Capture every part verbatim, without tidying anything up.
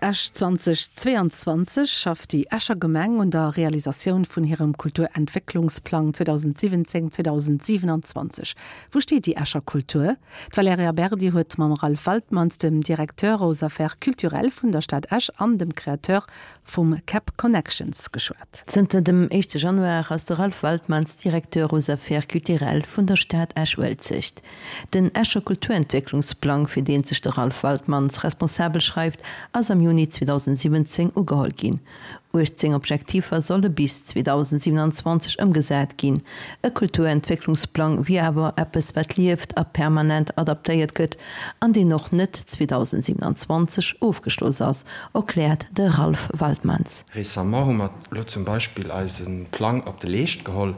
Esch zweitausendzweiundzwanzeg schafft déi Escher Gemeng un der Realisatioun vun hirem Kulturentwécklungsplang zweitausendsiwwenzéng zweitausendsiewenundzwanzeg. Wou steet déi Escher Kultur? D'Valerija Berdi huet mam Ralph Waltmanns, dem Directeur aux Affaires culturelles vun der Stad Esch an dem Créateur vum Cap Connections geschwat. Zënter dem éischte Januar ass de Ralph Waltmanns Directeur aux Affaires culturelles vun der Stad Esch-Uelzecht. Den Escher Kulturentwécklungsplang, fir deen sech de Ralph Waltmanns responsabel schreift, ass am Juni zweitausendsiwwenzéng ugeholl ginn. uechtzéng Objektiver solle bis zweitausendsiewenundzwanzeg ëmgesat ginn. E Kulturentwécklungsplang wier awer eppes, wat lieft a permanent adaptéiert gëtt an deen och net zweitausendsiewenundzwanzeg ofgeschloss ass, erkläert de Ralph Waltmanns. Récemment hu mer elo zum Beispill eise Plang op de Leescht geholl,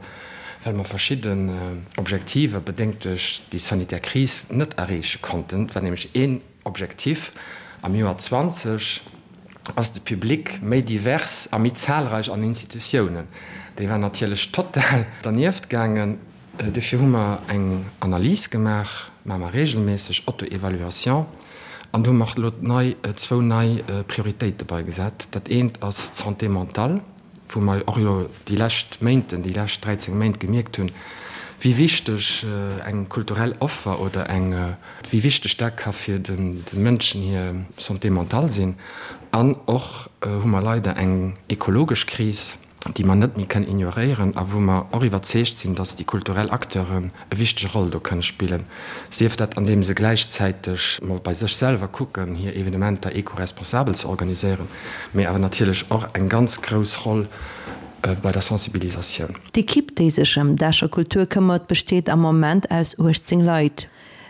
well mer verschidden Objektiver, bedéngt duerch déi sanitär Kris, net erreeche konnten. Et war nämlech een Objektiv am Joer zwanzeg, ass de Public méi divers a méi zahlreich an Institutiounen. Déi war natierlech total dernieft gaangen. Dofir hu mer eng Analys gemaach, maache mer regelméisseg, Auto-évaluation, an do hu mer elo nei, zwou nei Prioritéite beigesat. Dat eent ass d'Santé mentale, wou mer och elo déi lescht Méinten, déi lescht dräizéng Méint gemierkt hunn, wéi wichteg eng kulturell Offer oder eng, wéi wichteg dat ka fir de Mënschen hir Santé mentale sinn. An och hu mer leider eng ekologesch Kris, déi mer net méi kënnen ignoréieren a wou mer och iwwerzeegt sinn, dass déi kulturell Acteuren e wichtege Roll do kënne spillen, sief dat andeem se gläichzäiteg mol bei sech selwer kucken, hir Evenementer eco-responsabel ze organiséieren, mee awer natierlech och eng ganz grouss Roll bei der Sensibilisatioun. D'Ekipp, déi sech ëm d'Escher Kultur këmmert, besteet am Moment aus uechtzéng Leit.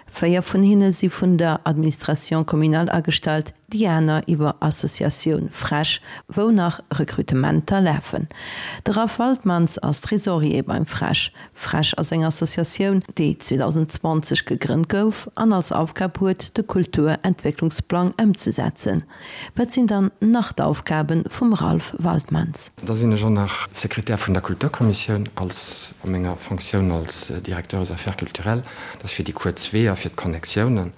Véier vun hinne si vun der Administration communale agestallt, déi aner iwwer Associatioun FrEsch, wou nach Rekrutementer lafen. De Ralph Waltmanns ass Tresorier beim FrEsch. FrEsch ass eng Associatioun, déi zweitausendzwanzeg gegrënnt gouf an als Aufgab huet, de Kulturentwécklungsplang ëmzesetzen. Wat sinn dann nach d'Aufgabe vum Ralph Waltmanns? Da sinn ech och nach Sekretär vun der Kulturkommissioun als a menger Fonctioun als Directeur aux Affaires culturelles. Dat ass fir déi kuerz Weeër, fir d'Connectiounen.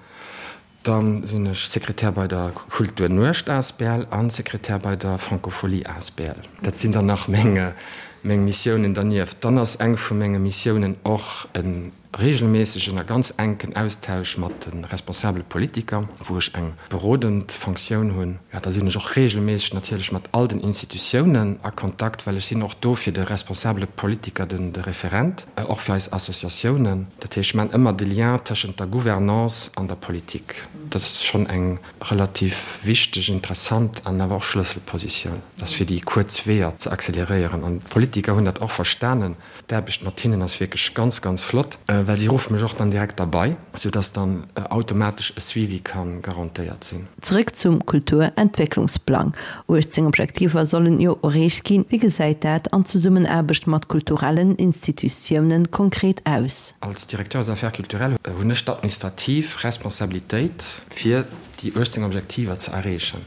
Dann sinn ech Sekretär bei der Kulturnuecht asbl an Sekretär bei der Francophonie asbl. Dat sinn dann nach meng, meng Missiounen dernieft. Dann ass eng vu menge Missiounen och e regelméissegen a ganz enken Austausch mat de responsabele Politiker, wou ech eng berodend Fonctioun hunn. Jo, da sinn ech och regelméisseg natierlech mat all den Institutiounen a Kontakt, well ech sinn och do fir de responsabele Politiker den, de Referent, och fir eis Associatiounen. Dat heescht, ech maachen ëmmer de Lien tëschent der Gouvernance an der Politik. Dat ass schonn eng relativ wichteg, interessant an awer och Schlësselpositioun. Dat ass fir déi kuerz Weeër ze acceleréieren. An d'Politiker hunn dat och verstanen. D'Aarbecht mat hinnen ass wierklech ganz, ganz flott, well si ruffe mech och dann direkt derbei, soudass dann automatesch e Suivi ka garantéiert sinn. Zeréck zum Kulturentwécklungsplang. uechtzéng Objektiver sollen jo erreecht ginn. Wéi gesäit dat an Zesummenaarbecht mat kulturellen Institutiounen konkret aus? Als Directeur des Affaires culturelles hunn ech d'administrativ Responsabilitéit, fir déi uechtzéng Objektiver ze erreechen.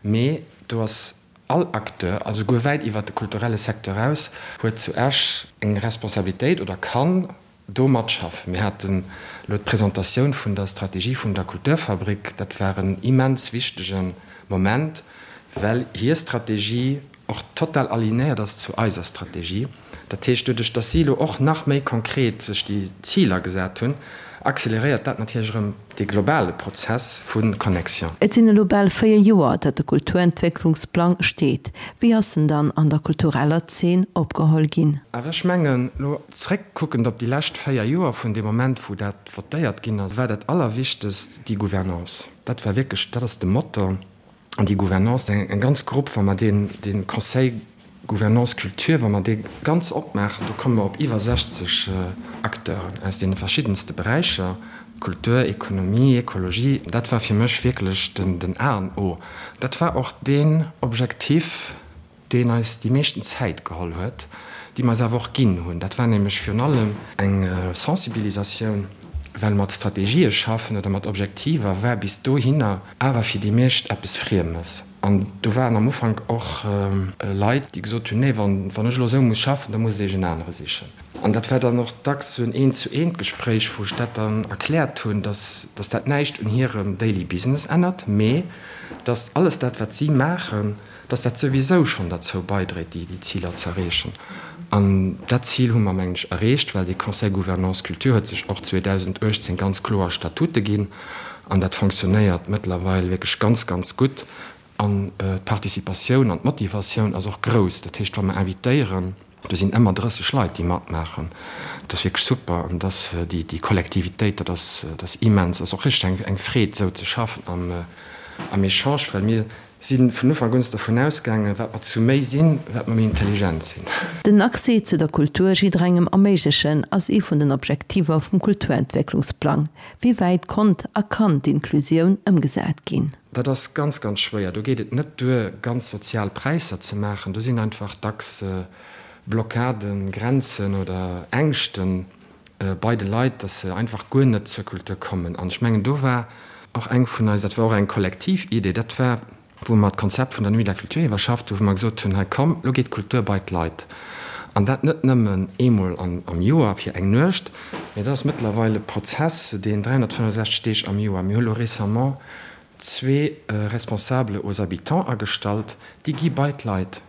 Mee do ass all Acteur, a souguer wäit iwwert de kulturelle Secteur eraus, huet zu Esch eng Responsabilitéit oder kann do matschaffen. Mir haten elo d'Presentatioun vun der Strategie vun der Kulturfabrik. Dat war en immens wichtege Moment, well hir Strategie och total alignéiert ass zu eiser Strategie. Dat heescht, doduerch datt si elo och nach méi konkret sech déi Ziler gesat hunn, acceleréiert dat natierlech erëm dee globale Prozess vu Connexion. Et sinn elo bal véier Joer, datt de Kulturentwécklungsplang steet. Wéi ass en dann an der kultureller Zeen opgeholl ginn? Awer ech mengen, elo zréckkuckend op déi lescht véier Joer, vun deem Moment, wou dat votéiert ginn ass, war dat Allerwichtegst déi Gouvernance. Dat war wierklech, dat ass de Motor. An déi Gouvernance, eng ganz Grupp, wa mer deen, dee Conseil Gouvernance Culture, wa mer dee ganz opmaachen, do komme mer op iwwer sechzeg Acteuren aus deene verschiddenste Beräicher, Kultur, Ekonomie, Ekologie. Dat war fir mech wierklech den, den A an O. Dat war och deen Objektiv, deen eis déi meeschten Zäit geholl huet, déi mer eis awer och ginn hunn. Dat war nämlech virun allem eng Sensibilisatioun, Well mat Strategië schaffen oder mat Objektiver war bis dohinner awer fir déi meescht eppes Friemes. An do waren am Ufank och Leit, déi gesot hunn, Nee, wann ech elo esou muss schaffen, da muss ech en anere sichen. An dat war dann och dacks esou en Eent-zu-eent-Gespréich, wou ech dat dann erkläert hunn, dass dat näischt un hirem Daily Business ännert, mee dass alles dat, wat si maachen, dass dat souwisou schonn derzou baidréit, déi Ziler ze erreechen. An dat Zil hu mer, mengen ech, erreecht, well dee Conseil Gouvernance Culture huet sech och zweedausendachtzéng ganz kloer Statute ginn an dat fonctionnéiert mëttlerweil wierklech ganz, ganz gutt. An d'Participatioun an d'Motivatioun ass och grouss. Dat heescht, wa mer invitéieren, do sinn ëmmer drësseg Leit, déi matmaachen. Dat ass wierklech super. An dass déi Kollektivitéit, dat ass, dat ass immens. Dat ass och richteg eng Freed, esou ze schaffen am, am Echange, well mir si vun Ufank un dervun ausgaangen, wat mer zu méi sinn, wat mer méi intelligent sinn. Den Accès zu der Kultur jidderengem erméiglechen ass ee vun den Objektiver vum Kulturentwécklungsplang. Wéi wäit konnt a kann d'Inklusioun ëmgesat ginn? Dat ass ganz, ganz schwéier. Do geet et net duer, ganz sozial Präisser ze maachen. Do sinn einfach dacks Blockaden, Grenzen oder Ängschten bei de Leit, dass se einfach guer net zur Kultur kommen. An ech mengen, do war och eng vun eis, dat war och eng kollektiv Idee, dat war, wou mer d'Konzept vun der Nuit de la Culture iwwerschafft hu, wou mer gesot hunn, hei komm, lo geet d'Kultur bei d'Leit. An dat net nëmmen eemol am Joer fir eng Nuecht, mee dat ass mëttlerweil e Prozess, deen dräihunnertfënnefonsechzeg Deeg am Joer, mir hu lo récemment zwee Responsables aux habitants agestallt, déi gi bei d'Leit,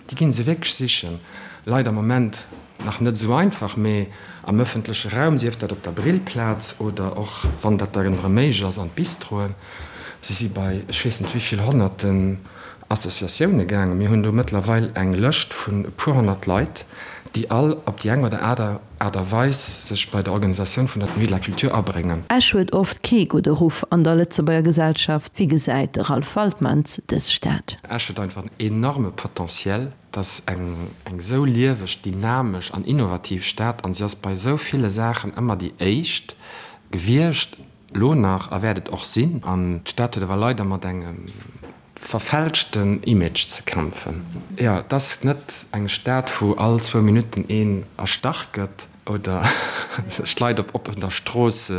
déi gi se wierklech sichen. Leider am Moment nach net esou einfach, mee am ëffentleche Raum, sief dat op der Brillplaz oder och, wann dat dann erëm méiglech ass, an d'Bistroen. Si si bei ech weess net wéi vill honnerten Associatioune gaangen. Mir hunn do mëttlerweil eng Lëscht vun e puer honnert Leit, déi all op déi eng oder aner Aart a Weis sech bei der Organisatioun vun der Nuit de la Culture abréngen. Esch huet oft kee gudde Ruff an der Lëtzebuerger Gesellschaft. Wéi gesäit de Ralph Waltmans dës Stad? Esch huet einfach en enorme Potentiel. Et ass eng esou lieweg, dynamesch an innovativ Stad an si ass bei esou ville Saachen ëmmer déi éischt gewiescht, elo nach a wäert et och sinn. An d'Stad huet awer leider mat engem verfälschten Image ze kämpfen. Jo, et ass net eng Stad, wou all zwou Minutten een erstach gëtt oder sech d'Leit op oppener Strooss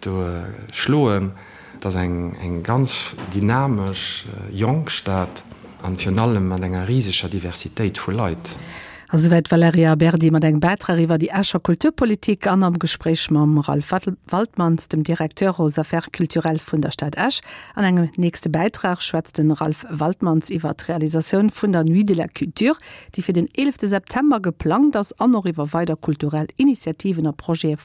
do schloen. Et ass eng ganz dynamesch, jonk Stad an virun allem mat enger riseger Diversitéit vu Leit. A souwäit d'Valerija Berdi mat engem Bäitrag iwwer déi Escher Kulturpolitik an am Gespréich mam Ralph Waltmans, dem Directeur aux Affaires culturelles vun der Stad Esch. An engem nächste Bäitrag schwätzt de Ralph Waltmans iwwer d'Realisatioun vun der Nuit de la Culture, déi fir den eelefte September geplangt ass, an och iwwer weider kulturell Initiativen a Projete